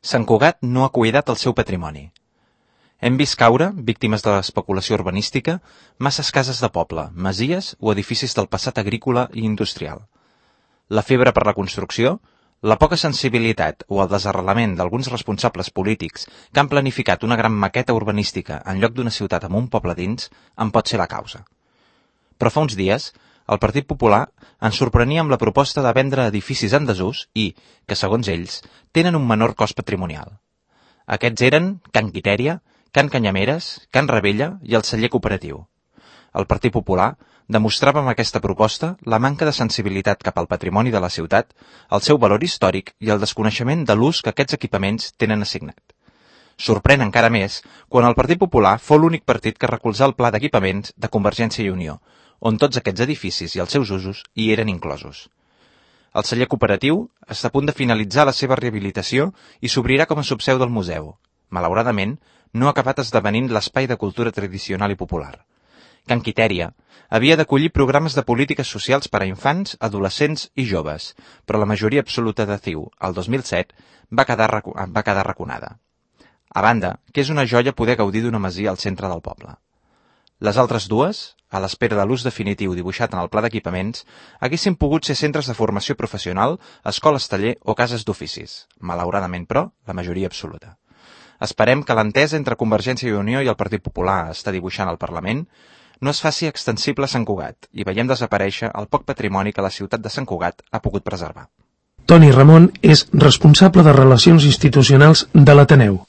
Sant Cugat no ha cuidat el seu patrimoni. Hem vist caure, víctimes de l'especulació urbanística, masses cases de poble, masies o edificis del passat agrícola i industrial. La febre per la construcció, la poca sensibilitat o el desarrelament d'alguns responsables polítics que han planificat una gran maqueta urbanística en lloc d'una ciutat amb un poble dins en pot ser la causa. Però fa uns dies, el Partit Popular ens sorprenia amb la proposta de vendre edificis en desús i, que segons ells, tenen un menor cost patrimonial. Aquests eren Can Quitèria, Can Canyameres, Can Ravella i el Celler Cooperatiu. El Partit Popular demostrava amb aquesta proposta la manca de sensibilitat cap al patrimoni de la ciutat, el seu valor històric i el desconeixement de l'ús que aquests equipaments tenen assignat. Sorprèn encara més quan el Partit Popular fou l'únic partit que recolzà el pla d'equipaments de Convergència i Unió, on tots aquests edificis i els seus usos hi eren inclosos. El Celler Cooperatiu està a punt de finalitzar la seva rehabilitació i s'obrirà com a subseu del museu. Malauradament, no ha acabat esdevenint l'espai de cultura tradicional i popular. Can Quitèria havia d'acollir programes de polítiques socials per a infants, adolescents i joves, però la majoria absoluta de CiU, el 2007, va quedar raconada. A banda, que és una joia poder gaudir d'una masia al centre del poble. Les altres dues, a l'espera de l'ús definitiu dibuixat en el pla d'equipaments, haguessin pogut ser centres de formació professional, escoles taller o cases d'oficis. Malauradament, però, la majoria absoluta. Esperem que l'entesa entre Convergència i Unió i el Partit Popular està dibuixant al Parlament no es faci extensible a Sant Cugat i veiem desaparèixer el poc patrimoni que la ciutat de Sant Cugat ha pogut preservar. Toni Ramon és responsable de Relacions Institucionals de l'Ateneu.